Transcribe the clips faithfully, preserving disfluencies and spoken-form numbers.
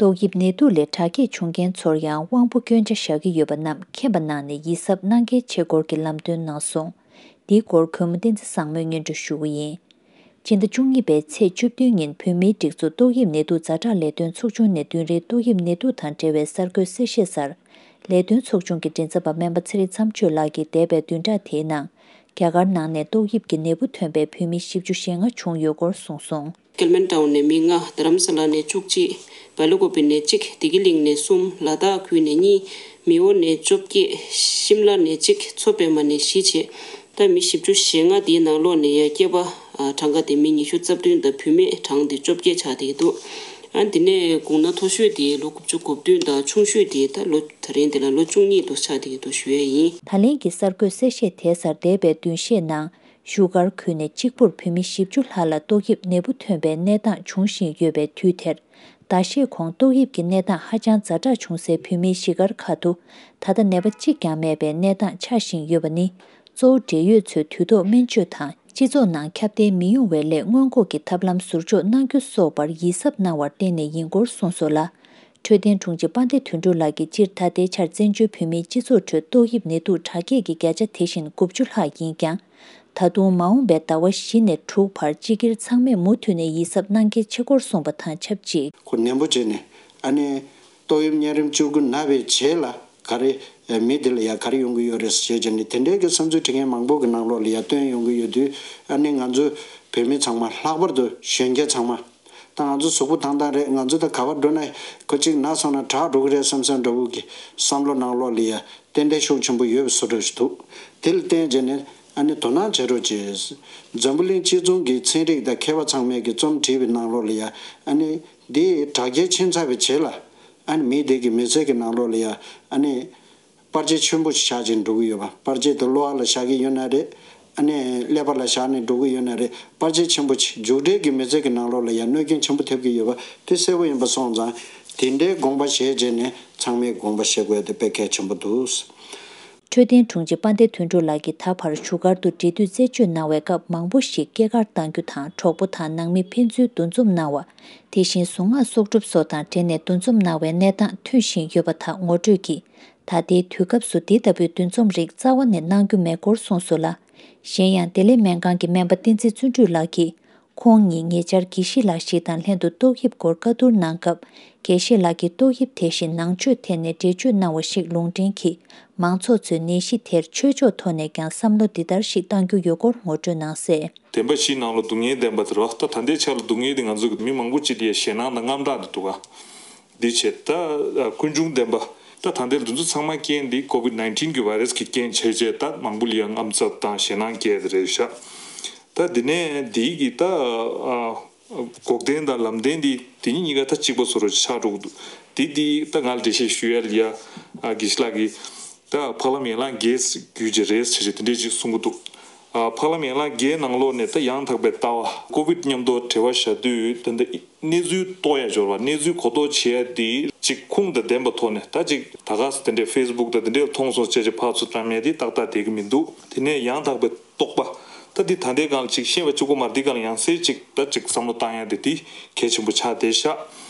ཏོག་དབྱིབས་ནད་དུག་ལས་དྲག་སྐྱེད་བྱུང་མཁན་ཚོར་ཡང་དབང་པོ་སྐྱོན་ཆ་བཞག་གི་ཡོད་པ་རྣམས་མཁྱེན་པ་གནང་ནས་ཡིད་གཟབ་གནང་གལ་ཆེ་སྐོར་གྱི་ལམ་སྟོན་གནང་སོང་། འདིའི་སྐོར་གུས་མོ་བསྟན་འཛིན་བཟང་མོས་སྙན་སྒྲོན་ཞུ་གི་ཡིན། སྤྱི་ཟླ་བཅུ་གཉིས་པའི་ཚེས་བཅུ་བདུན་ཉིན་བོད་མིའི་སྒྲིག་འཛུགས་ཏོག་དབྱིབས་ནད་དུག་ཛ་དྲག་ལས་དོན་ཚོགས་ཆུང་ནས་བདུན་རེའི་ཏོག་དབྱིབས་ནད་དུག་དང་འབྲེལ་བའི་གསར་འགོད་གསལ་བཤད་གསར། ལས་དོན་ཚོགས་ཆུང་གི་མགྲིན་ཚབ་པ་སྨན་པ་ཚེ་རིང་མཚམས་གཅོད་ལགས་ཀྱིས་འདས་པའི་བདུན་ཕྲག་དེའི་ནང་རྒྱ་གར་ནང་ནས་ཏོག་དབྱིབས་ཀྱི་ནད་འབུ་ཐོན་པའི་བོད་མི་བཞི་བཅུ་ཞེ་ལྔ་བྱུང་ཡོད་སྐོར་གསུངས་སོང་། ཀལ་མན་ཊའུན་ནས་མི་ལྔ། རྡ་རམ་ས་ལ་ནས་བཅུ་གཅིག། བལ་ཀོ་པི་ནས་གཅིག། བདེ་སྐྱིད་གླིང་ནས་གསུམ། ལ་དྭགས་ཁུལ་ནས་གཉིས། མེའོ་ནས་བཅོ་བརྒྱད། ཤིམ་ལ་ནས་གཅིག། མཚོ་པདྨ་ནས་བཞི་བྱས། ད་མི་བཞི་བཅུ་ཞེ་ལྔ་དེའི་ནང་ལོགས་ནས་ཡང་སྐྱེས་པ་ཨ་གྲངས་ཀ་དེ་མི་ཉི་ཤུ་རྩ་བདུན་དང་བུད་མེད་གྲངས་དེ་བཅོ་བརྒྱད་ཆགས་བསྡད་ཀྱི་འདུག་ཨ་དེ་ནས་དགུང་ན་མཐོ་ཤོས་དེ་ལོ་དགུ་བཅུ་གོ་བདུན་དང་ཆུང་ཤོས་དེ་ད་ལོ་ད་རིང་དེ་ལ་ལོ་བཅུ་གཉིས་དུ་ཆགས་བསྡད་ཀྱི་འདུག་ཞུ་ཡས་ཡིན། ད་ལན་གྱི་གསར་འགོད་གསལ་བཤད་དེ་གསར་འདས་པའི་བདུན་ཤས་ནང་བཞུགས་སྒར་ཁུལ་ནས་གཅིག་པུར་བོད་མི་བཞི་བཅུ་ལྷག་ལ་ཏོག་དབྱིབས་ནད་འབུ་ཐོན་པའི་གནས་སྟངས་འབྱུང་བཞིན་ཡོད་པའི་དུས་དེར། ཟླ་ཤས་གོང་ཏོག་དབྱིབས་ཀྱི་གནས་སྟངས་ཧ་ཅང་ཛ་དྲག་བྱུང་སའི་བོད་མིའི་གཞིས་སྒར་ཁག་ཏུ་ད་ལྟ་ནད་པ་གཅིག་ཀྱང་མེད་པའི་གནས་སྟངས་ཆགས་བཞིན་ཡོད་པ་ནི། གཙོ་བོ་འབྲེལ་ཡོད་ཚོས་དུས་ཐོག་སྨན་བཅོས་དང་སྤྱི་ཚོགས་ནང་ཁྱབ་གདལ་མི་ཡོང་བའི་སླད་སྔོན་འགོག་གི་ཐབས་ལམ་ཟུར་འཇོག་གནང་རྒྱུ་སོགས་པར་ཡིད་གཟབ་གནང་བར་བརྟེན་ནས་ཡིན་སྐོར་གསུངས་སོང་ལ། འཕྲོད་བསྟེན་དྲུང་ཆེ་དཔལ་ལྡན་དོན་གྲུབ་ལགས་ཀྱིས་སྤྱིར་ད་ལྟའི་ཆར་བཙན་བྱོལ་བོད་མིའི་སྤྱི་ཚོགས་ཁྲོད་ཏོག་དབྱིབས་ནད་དུག་དྲག་སྐྱེད་ཀྱི་བརྒྱ་ཆ་དེ་བཞིན་དགུ་བཅུ་ལྷག་ཡིན་ཀྱང་། ད་དུང་མ་འོངས་པའི་ཟླ་བ་བཞི་ནས་དྲུག་བར་སྤྱི་སྒེར་ཚང་མས་མུ་མཐུད་ནས་ཡིད་གཟབ་གནང་གལ་ཆེ་སྐོར་གསུངས་པ་དང་ཆབས་ཅིག་ཁོ་ནན་པོ་བྱས་ནས་ཨ་ནི་ཏོག་དབྱིབས་གཉན་རིམས་བཅུ་དགུ་ན་བའི་རྗེས་ལ་ག་རེ་མི་དེ་ལ་ཡ་ག་རེ་ཡོང་གི་ཡོད་རེད་ཟེར་བྱས་ནས་དེ་འདྲའི་གི་བསམ་ཚུལ་འབྲི་མཁན་མང་པོ་གི་ནང་ལོགས་ལ་ཡ་བཏོན་ཡོང་གི་ཡོད་དུས་ཨ་ནི་ང་ཚོ་བོད་མི་ཚང་མ་ལྷག་པར་དུ་གཞོན་སྐྱེས་ཚང་མ། ད་ང་ཚོ་གཟུགས་པོ་ཐང་ཐང་རེད། ང་ཚོ་ད་ག་པར་འགྲོ་ན་ཁོ་གཅིག་ན་སོང་ན་དྲག་འགྲོ་གི་རེད་བསམ་བསམ་འདྲ་བོ་གི་བསམ་བློ་ནང་ལོགས་ལ་ཡ་ཏན་ཏན་ཤུགས་ཆེན་པོ་ཡོད་པའི་བཟོ་འདྲ་ཞིག་འདུག་དེ་ལ་བརྟེན་བྱས་ནས་ཨ་ནི་དོ་སྣང་བྱེད་རོགས་བྱེད། འཛམ་བུ་གླིང་སྤྱི་མཚུངས་ཀྱི་ཚན་རིག་དང་མཁས་པ་ཚང་མས་ཀྱི་རྩོམ་བྲིས་པའི་ནང་ལོགས་ལ་ཡ་ཨ་ནི་འདི་དྲག་སྐྱེད་ཕྱིན་ཚར་བའི་རྗེས་ལ་ཨ་ནི་མི་དེ་གི་མི་ཚེ་གི་ནང་ལོགས་ལ་ཡ་ཨ་ནི། པར་ཆས་ཆེན་པོ་ཞིག་བཞག་ཅིང་འགྲོ་གི་ཡོད་པ། པར་ཆས་དེ་གློ་བ་ལ་བཞག་གི་ཡོད་ན་རེད། ཨ་ནི་ཀླད་པ་ལ་བཞག་ནས་འགྲོ་གི་ཡོད་ན་རེད། པར་ཆས་ཆེན་པོ་ཆེ་མཇུག་འབྲས་ཀྱི་མི་ཚེ་གི་ནང་ལོགས་ལ་ཡང་གནོད་སྐྱོན་ཆེན་པོ་ཐེབས་ཀྱི་ཡོད་པ་དེ་གསལ་པོ་ཡིན་པ་སོང་ཙང་དེ་འདྲའི་དགོངས་པ་བཞེས་བྱས་ནས་ཚང་མས་དགོངས་པ་བཞེས་དགོས་ཡ་དེ་དཔེ་གལ་ཆེན་པོ་འདུག་འཕྲོད་བསྟེན་དྲུང་ཆེ་དཔལ་ལྡན་དོན་གྲུབ་ལགས་ཀྱིས་ད་བར་བཞུགས་སྒར་དུ་འབྲེལ་མཐུད་རྩད་གཅོད་གནང་བའི་སྐབས་མང་པོ་ཞིག་སྐྱེས་སྐར་གཏང་རྒྱུ་དང་གྲོགས་པོ་དང་ནང་མི་ཕན་ཚུན་འདུ་འཛོམས་གནང་བ། དེ་བཞིན་གཟུངས་སྔགས་གསོག་སྒྲུབ་སོགས་དང་འབྲེལ་ནས་འདུ་འཛོམས་གནང་བའི་གནས་སྟངས་ཐོན་བཞིན་ཡོད་པ་དག་ངོ་སྤྲོད་ཀྱིས། ད་ལྟའི་དུས་སྐབས་སུ་འདི་ལྟ་བུའི་འདུ་འཛོམས་རིགས་རྩ་བ་ནས་གནང་རྒྱུ་མེད་སྐོར་གསུངས་སོང་ལ། གཞན་ཡང་བདེ་ལེགས་སྨན་ཁང་གི་སྨན་པ་བསྟན་འཛིན་བརྩོན་འགྲུས་ལགས་ཀྱིས། ཁོང་ཉིད་ཉེ་ཆར་དགེ་བཤེས་ལགས་ཤིག་དང་ལྷན་དུ་ཏོག་དབྱིབས་སྐོར་བཀའ་བསྡུར་གནང་སྐབས། དགེ་བཤེས་ལགས་ཀྱིས་ཏོག་དབྱིབས་དེ་བཞིན་ནང་ཆོས་ཐད་ནས་འགྲེལ་བརྗོད་གནང་བ་ཞིག་ལུང་འདྲེན་གྱིས། མང་ཚོགས་ཚོས་ནད་གཞི་དེར་ཆོས་ཕྱོགས་ཐོག་ནས་ཀྱང་བསམ་བློ་འདི་ལྟར་ཞིག་གཏང་རྒྱུ་ཡོད་སྐོར་ངོ་སྤྲོད་གནང་གསལ། བདེན་པ་བཞིའི་ནང་ལ་སྡུག་བསྔལ་བདེན་པ་དེ་རེད་བ། ད་ད་ལྟའི་ཆ་ལ་སྡུག་བསྔལ་དེ་ང་ཚོ་གི་མི་མང་པོ་ཅིག་དེ་ཡ་ཞེད་སྣང་དང་དངངས་སྐྲག་དེ་འདུག་ག་འདི་བྱས་ད་ཀུན་འབྱུང་བདེན་པ། ད་ད་ལྟའི་འདི་ཚོ་ཚང་མ་རྐྱེན་འདི་ཀོ་བིད་ནའིན་ཊིན་གྱི་བྷའི་རེས་ཀྱི་རྐྱེན་བྱས་རྗེས་ད་མང་པོ་ལ་ཡ་དངངས་འཚབ་དང་ཞེད་སྣང་སྐྱེས་དེ་རེད་ཤག་ད་འདི་ནས་འདི་གི་ད་འགོག་བདེན་དང་ལམ་བདེན་འདི་དེ་གཉིས་གཉིས་ཀ་ད་གཅིག་པ་བཟོ་འདྲ་ཆགས་འགྲོ་གི་འདུག་འདི་འདི་ད་ང་ལ་འགྲེལ་བཤད་ཞུ་ཡ་ལ་ཡ་དགེ་བཤེས་ལགས་ཀྱིས། ད་འཕགས་ལམ་ཡན་ལག་བརྒྱད་བརྒྱུད་ཀྱི་རེད་ཟེར་ཏེ་དེ་འདྲས་ཅིག་གསུང་གི་འདུག་ཨ་འཕགས་ལམ་ཡན་ལག་བརྒྱད་ནང་ལོགས་ནས་ད་ཡང་དག་པའི་ལྟ་བ་ཀོ་བིད་མཉམ་དུ་འབྲེལ་བ་བཞག་དུས་ད་ལྟ་གནས་ཚུལ་རྟོགས་ཡ་སྦྱོར་བ་གནས་ཚུལ་གོ་རྟོགས་བྱེད་ཡ་དེ་ཅིག་ཁུངས་དང་ལྡན་པའི་ཐོག་ནས་ད་ཅིག་ད་ག་ས་དེ་འདྲས་ཕེ་སི་བུག་དང་དེ་འདྲས་མཐོང་སོང་ཅེས་ཅིག་ཕར་ཚུར་བཀྲམ་ཡ་དེ་ཏག་ཏག་བསྡད་ཀྱི་མི་འདུག་དེ་ནས་ཡང་དག་པའི་རྟོགས་པ། ད་འདི་ད་ལྟའི་སྒང་ལ་ཅིག་ཤེས་པ་གཅིག་པོ་མ་རེད། འདི་སྒང་ལ་ཡང་སེ་ཅིག་ད་ཅིག་བསམ་བློ་བཏང་ཡ་དེ་འདི་གལ་ཆེན་པོ་ཆགས་བསྡད་ཤག་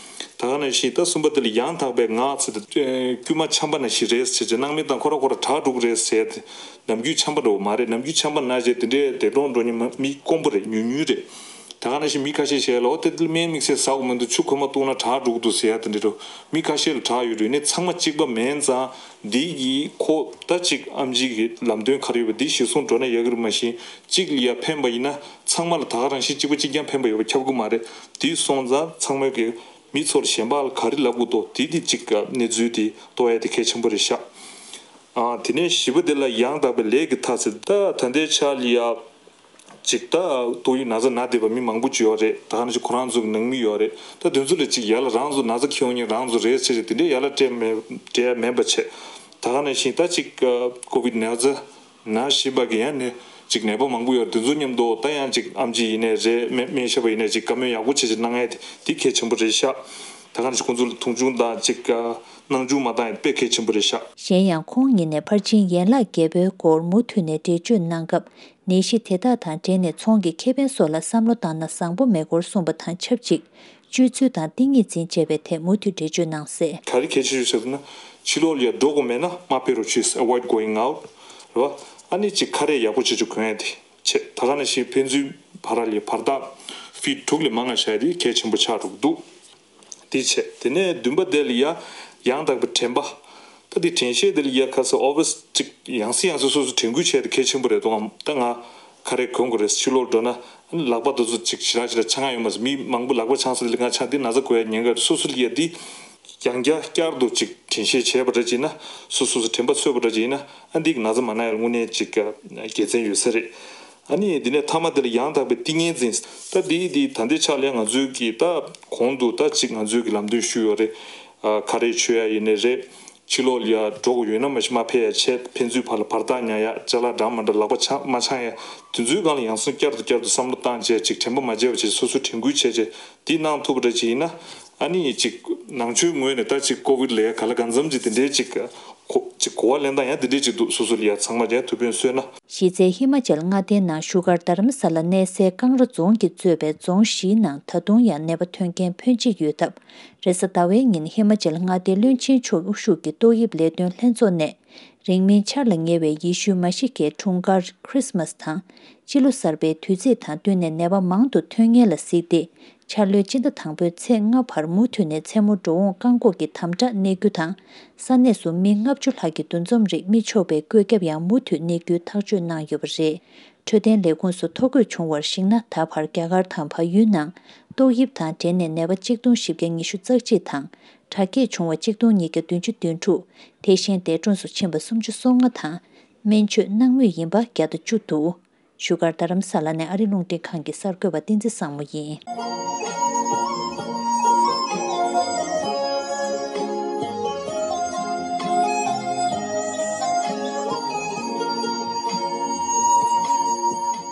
ད་ག་ནང་བཞིན་ད་གསུམ་པ་དེ་ལ་ཡང་དག་པའི་ངག་ཟེར་ཏེ་དཀྱུས་མ་ཆམ་པ་ནང་བཞིན་རེད་ཟེར་ཅིག་སྣང་མེད་དང་ཁོ་ར་ཁོ་ར་དྲག་འགྲོ་གི་རེད་ཟེར་ཏེ། ནམ་རྒྱུན་ཆམ་པ་འདྲ་བོ་མ་རེད། ནམ་རྒྱུན་ཆམ་པ་ན་བྱས་དེ་འདྲའི་བདེ་གྲོང་འགྲོ་མཁན་མི་དཀོན་པོ་རེད། ཉུང་ཉུང་རེད། ད་ག་ནང་བཞིན་མི་ཁ་ཤས་བྱས་ལ་འོ་དེ་དེ་སྨན་དམིགས་བསལ་ཟ་དགོས་མི་འདུག་ཆུ་ཁོལ་མ་བཏུང་ན་དྲག་འགྲོ་གི་འདུག་ཟེར་ཡ་དེ་འདྲ་འགྲོ། མི་ཁ་ཤས་ལ་དྲག་ཡོད་རེད། ནི་ཚང་མ་གཅིག་པ་མིན་ཙང་འདི་གི་ཁོ་ད་ཅིག་ཨེམ་ཆི་གི་ལམ་སྟོན་ག་རེ་ཡོད་པ་འདི་གཞིར་བཟུང་འགྲོ་ན་ཡག་གི་རེད། མ་གཞི་གཅིག་ལ་ཡ་ཕན་པ་ཡིན་ན་ཚང་མ་ལ་ད་ག་རང་བཞིན་གཅིག་པ་གཅིག་རྐྱང་ཕན་པ་ཡོད་པ་ཁྱབ་གི་མ་རེད། དེ་སོང་ཙང་ཚང་མས་གི་མི་ཚོར་གཞན་པ་ལ་ག་རེ་ལབ་དགོས་འདུག་དེ་དེ་གཅིག་གནས་ཚུལ་དེ་རྟོགས་ཡ་དེ་གལ་ཆེན་པོ་རེད་ཤག་ཨ་དེ་ནས་བཞི་པ་དེ་ལ་ཡང་དག་པའི་ལས་ཀྱི་མཐའ་ཟེར། ད་ད་ལྟའི་ཆ་ལ་ཡ་ཅིག་ད་ཏོག་དབྱིབས་ན་ཚ་ན་བསྡད་པ་མི་མང་པོ་ཅིག་ཡོད་རེད། ད་ག་ནང་བཞིན་ཁོ་རང་ཚོ་གི་ནང་མི་ཡོད་རེད། ད་དེ་ཚོ་ལ་ཅིག་ཡ་ལ་རང་ཚོ་ན་ཚ་ཁེལ་ཡོང་མཁན་རང་ཚོ་རེད་ཟེར་ཏེ་དེ་འདྲའི་ཡ་ལ་སྤྲད་མེད་སྤྲད་ཡ་མེད་པ་བྱས། ད་ག་ནང་བཞིན་ད་ཅིག་ཀོ་བིད་ན་ཚ་ན་བཞིན་པ་གི་ཡང་ནས་ཅིག་ནད་པ་མང་པོ་ཡོད་རེད། དེ་ཚོ་མཉམ་དུ་ད་ཡང་ཅིག་ཨེམ་ཆི་ཡིན་ནའི་རེད། སྨན་སྨན་ཞབས་པ་ཡིན་ནའི་ཅིག་བཀའ་མོལ་ཡག་པོ་བྱེད་བྱེད་གནང་ཡ་དེ་དེ་གལ་ཆེན་པོ་རེད་ཤག་ད་ག་ནང་བཞིན་ཁོང་ཚོ་ལ་མཐོང་ཆུང་དང་ཅིག་སྣང་ཆུང་མ་བཏང་ཡ་དཔེ་གལ་ཆེན་པོ་རེད་ཤག་གཞན་ཡང་ཁོང་ཉིད་ནས་ཕར་ཕྱིན་ཡན་ལག་བརྒྱད་པོའི་སྐོར་མུ་མཐུད་ནས་འགྲེལ་བརྗོད་གནང་སྐབས། ནད་གཞི་དེ་དག་དང་འབྲེལ་ནས་ཚོང་གི་ཁེ་ཕན་སོགས་ལ་བསམ་བློ་བཏང་ན་བཟང་པོ་མེད་སྐོར་གསུངས་པ་དང་ཆབས་ཅིག་སྤྱོད་ཚུལ་དང་ཏིང་ངེ་འཛིན་བཅས་པའི་ཐད་མུ་མཐུད་འགྲེལ་བརྗོད་གནང་གསལ། ག་རེ་གལ་ཆེ་ཤོས་ཟེར་ན། ཕྱི་ལོགས་ལ་ཡ་འགྲོ་དགོས་མེད་ན་མ་ཕེབས་རོགས་བྱོས། Avoid going out། རེད་བ། ཨ་ནི་ཅིག་ཁ་རས་ཡག་པོ་བྱེད་ཆོག་གོན་ཡ་དེ་བྱས། ད་ག་ནང་བཞིན་ཕན་ཚུན་བར་ལ་ཡ་བར་ཐག་ཕིཊ་དྲུག་ལས་མང་ང་བཞག་ཡ་དེ་གལ་ཆེན་པོ་ཆགས་འགྲོ་གི་འདུག་དེ་བྱས། དེ་ནས་བདུན་པ་དེ་ལ་ཡ་ཡང་དག་པའི་དྲན་པ། ད་དེ་དྲན་ཤེས་དེ་ལ་ཡ་ཁ་སང་ཨོ་ཕི་སི་ཅིག་ཡང་སེ་ཡང་སེ་སོ་སོ་དྲན་སྐུལ་བྱས་ཏེ་གལ་ཆེན་པོ་རེད་འདུག་གམ། ད་ང་ཁ་རས་གོན་དགོས་རེད། ཕྱི་ལོགས་འགྲོ་ན་ཨ་ནི་ལག་པ་དེ་ཚོ་ཅིག་ཞེ་དྲག་ཞེ་དྲག་འཆང་ཡ་ཡོད་མ་རེད། མི་མང་པོ་ལག་པ་འཆང་ས་དེ་ལ་ང་འཆང་དེ་ན་ཚ་འགོས་ཡ་ཉེན་ཁ་རེད། སོ་སོ་ལ་ཡ་དེ་ཡང་བསྐྱར་བསྐྱར་དུ་ཅིག་དྲན་ཤེས་བྱས་པ་འདྲ་ཅིག་ཡིན་ན། སོ་སོ་སོ་དྲན་པ་གསོས་པ་འདྲ་ཅིག་ཡིན་ན། ཨ་འདི་གི་ན་ཚ་མ་ན་ཡ་ལ་དངོས་གནས་ཅིག་དགེ་མཚན་ཡོད་ས་རེད། ཨ་ནི་འདི་ནས་མཐའ་མ་དེ་ལ་ཡང་དག་པའི་ཏིང་ངེ་འཛིན། ད་འདི་འདི་ད་ལྟའི་ཆ་ལ་ཡ་ང་ཚོའི་གི་ད་གོང་དུ་ད་ཅིག་ང་ཚོའི་གི་ལམ་སྟོན་ཞུས་ཡོད་རེད། ཨ་ཁ་རས་མཆོད་ཡ་ཡིན་ནའི་རེད། ཕྱི་ལོགས་ལ་ཡ་འགྲོ་དགོས་ཡོད་ན་མ་གཞི་མ་ཕེབས་ཡ་བྱས། ཕན་ཚུན་བར་ལ་བར་ཐག་ཉར་ཡ། ཅ་ལག་འདྲ་མ་འདྲ་ལག་པ་འཆང་མ་འཆང་ཡ། དེ་ཚོའི་སྒང་ལ་ཡང་སེ་བསྐྱར་དུ་བསྐྱར་དུ་བསམ་བློ་བཏང་བྱས། ཅིག་དྲན་པ་མ་བརྗེད་པ་བྱས། སོ་སོ་དྲན་སྐུལ་བྱས་བྱས་འདི་གནང་ཐུབ་པ་འདྲ་ཅིག་ཡིན་ན། ཨ་ནི་ཅིག་ནང་ཆོས་ངོས་ནས་ད་ཅིག་ཀོ་བིད་ལ་ཡ་ག་ལ་གང་འཚམ་ཅིག་དེ་འདྲའི་ཅིག་གོ་ཅིག་གོ་བ་ལེན་སྟངས་ཡང་དེ་འདྲའི་ཅིག་འདུག་སོ་སོ་ལ་ཡ་ཚང་མ་ཡ་ཐུགས་ཕན་གསོས་ན། གཞི་རྩའི་ཧི་མ་ཅལ་མངའ་སྡེའི་ནང་བཞུགས་སྒར་རྡ་རམ་ས་ལ་གནས་སའི་ཀང་ར་རྫོང་གིས་གཙོས་པའི་རྫོང་བཞིའི་ནང་ད་དུང་ཡང་ནད་པ་ཐོན་མཁན་ཕོན་ཆེ་ཡོད་སྟབས། རེས་གཟའ་ཟླ་བའི་ཉིན་ཧི་མ་ཅལ་མངའ་སྡེའི་བློན་ཆེན་མཆོག་དབུ་བཞུགས་ཀྱི་ཏོག་དབྱིབས་ལས་དོན་ལྷན་ཚོགས་ནས། རིང་མིན་འཆར་ལ་ཉེ་བའི་ཡེ་ཤུ་མ་ཤི་ཀའི་འཁྲུངས་སྐར་ཁྲིས་མས་དང་། སྤྱི་ལོ་གསར་པའི་དུས་ཚིགས་དང་བསྟུན་ནས་ནད་པ་མང་དུ་ཐོན་ངེས་ལ་གཟིགས་ཏེ། འཆར་ལོའི་སྤྱི་ཟླ་དང་པོའི་ཚེས་ལྔ་བར་མུ་མཐུད་ནས་མཚན་མོ་འགྲོ་འོང་བཀག་འགོག་གི་དམ་དྲག་གནས་རྒྱུ་དང་། ས་གནས་སུ་མི་ལྔ་བཅུ་ལྷག་གི་འདུ་འཛོམས་རིགས་མི་ཆོག་པའི་བཀོད་ཁྱབ་ཡང་མུ་མཐུད་གནས་རྒྱུའི་ཐག་གཅོད་གནང་ཡོད་པ་རེད། འཕྲོད་བསྟེན་ལས་ཁུངས་སུ་ཐོ་འགོད་བྱུང་བར་གཞིགས་ན། ད་བར་རྒྱ་གར་དང་བལ་ཡུལ་ནང་ཏོག་དབྱིབས་དང་འབྲེལ་ནས་ནད་པ་གཅིག་སྟོང་བཞི་བརྒྱ་ཉི་ཤུ་རྩ་གཅིག་དང་། དྲག་སྐྱེད་བྱུང་བ་གཅིག་སྟོང་ཉིས་བརྒྱ་བདུན་ཅུ་དོན་དྲུག་དེ་བཞིན་འདས་གྲོངས་སུ་ཕྱིན་པ་སུམ་ཅུ་སོ་ལྔ་དང་། སྨན་བཅོས་གནང་མུས་ཡིན་པ་བརྒྱ་དང་བཅུ་འདུག་བཞུགས་སྒར་རྡ་རམ་ས་ལ་ནས་ཨ་རི་རླུང་འཕྲིན་ཁང་གི་གསར་འགོད་པ་བསྟན་འཛིན་བཟང་མོ་ཡིན།